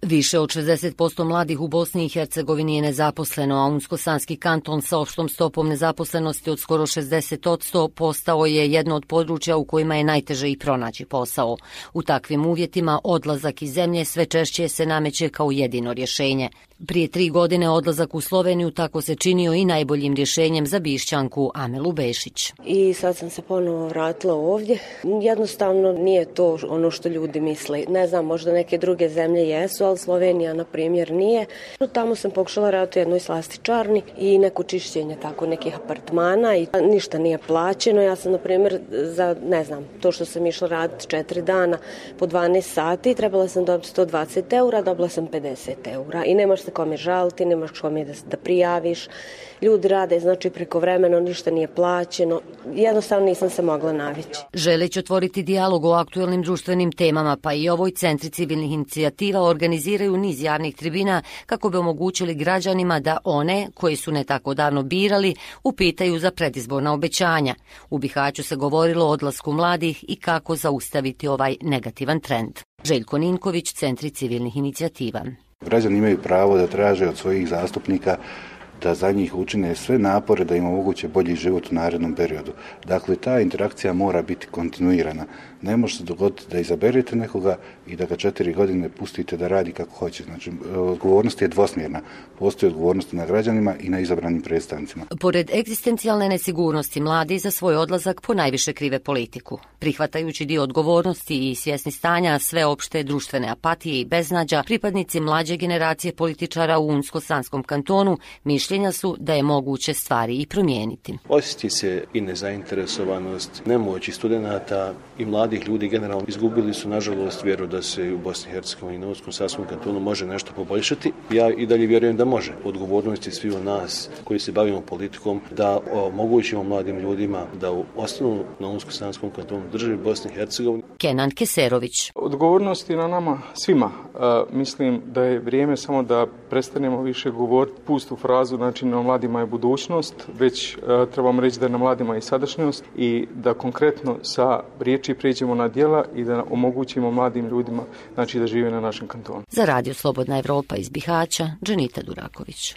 Više od 60% mladih u Bosni i Hercegovini je nezaposleno, a Unsko-Sanski kanton sa opštom stopom nezaposlenosti od skoro 60% postao je jedno od područja u kojima je najteže i pronaći posao. U takvim uvjetima odlazak iz zemlje sve češće se nameće kao jedino rješenje. Prije 3 godine odlazak u Sloveniju tako se činio i najboljim rješenjem za Bišćanku Amelu Bešić. I sad sam se ponovo vratila ovdje. Jednostavno nije to ono što ljudi misle. Ne znam, možda neke druge zemlje jesu, ali Slovenija, na primjer, nije. Tamo sam pokušala raditi u jednoj slastičarni i neko čišćenje tako nekih apartmana i ništa nije plaćeno. Ja sam, na primjer, za, ne znam, to što sam išla raditi 4 dana po 12 sati, trebala sam dobiti 120 eura, dobila sam 50 eura i nemaš se kome žaliti, nemaš kome da prijaviš. Ljudi rade, znači prekovremeno, ništa nije plaćeno. Jednostavno nisam se mogla navići. Želeći otvoriti dijalog o aktuelnim društvenim temama, pa i ovoj centri civilnih inicijativa organiziraju niz javnih tribina kako bi omogućili građanima da one, koji su ne tako davno birali, upitaju za predizborna obećanja. U Bihaću se govorilo o odlasku mladih i kako zaustaviti ovaj negativan trend. Željko Ninković, Centri civilnih inicijativa. Građani imaju pravo da traže od svojih zastupnika da za njih učine sve napore da im omoguće bolji život u narednom periodu. Dakle, ta interakcija mora biti kontinuirana. Ne može se dogoditi da izaberete nekoga i da ga 4 godine pustite da radi kako hoće. Znači, odgovornost je dvosmjerna. Postoji odgovornost na građanima i na izabranim predstavnicima. Pored egzistencijalne nesigurnosti, mladi za svoj odlazak ponajviše krive politiku. Prihvatajući dio odgovornosti i svjesni stanja sveopšte društvene apatije i beznađa, pripadnici mlađe generacije političara u Unsko-Sanskom kantonu mišljenja su da je moguće stvari i promijeniti. Osjeti se i nezainteresovanost, nemoć studenata i mladih ljudi generalno izgubili su, nažalost, vjeru da se u Bosni i Hercegovini i na Unsko-Sanskom kantonu može nešto poboljšati. Ja i dalje vjerujem da može. Odgovornost je svi u nas koji se bavimo politikom da omogućimo mladim ljudima da ostanu na Unsko-Sanskom kantonu, državi Bosni i Hercegovini. Kenan Keserović. Odgovornost je na nama svima. Mislim da je vrijeme samo da prestanemo više govoriti pustu frazu, znači na mladima je budućnost, već trebamo reći da je na mladima i sadašnjost i da konkretno sa riječi prijeđemo na djela i da omogućimo mladim ljudima, znači, da žive na našem kantonu. Za Radio Slobodna Evropa iz Bihaća, Dženita Duraković.